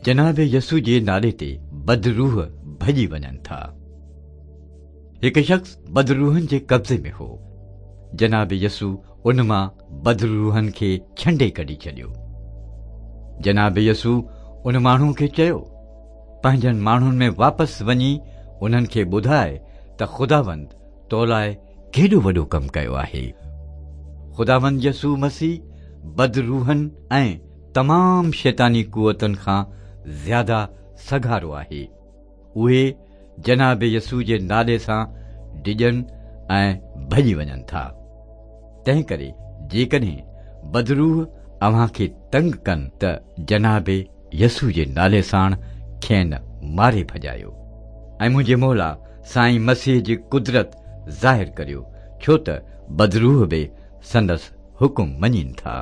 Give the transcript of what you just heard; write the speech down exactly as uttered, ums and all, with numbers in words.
جناب يسوع جي نالي تي بدروح ڀڄي وڃن ٿا. هڪ شخص بدروحن جي قبضي ۾ هو. جناب يسوع ان مان بدروحن کي ڇنڊي ڪڍي ڇڏيو. جناب يسوع ان ماڻهو کي چيو، پنهنجن ماڻهن ۾ واپس وڃي انهن کي ٻڌاءِ ته خداوند تو لاءِ ڪيڏو وڏو ڪم ڪيو آهي. خداوند يسوع مسيح بدروحن ۽ تمام شيطاني قوتن کان زياده سگهارو آهي. اهي جناب يسوع جي نالي سان ڊڄن ۽ ڀڄي وڃن ٿا. تنهن ڪري جيڪڏهن بدروح اوهان کي تنگ ڪن ته جناب يسوع جي نالي ساڻ کين ماري ڀڄايو ۽ منهنجي مولا سائين مسيح جي قدرت ظاهر ڪريو، ڇو ته بدروح به سندس حڪم مڃين ٿا.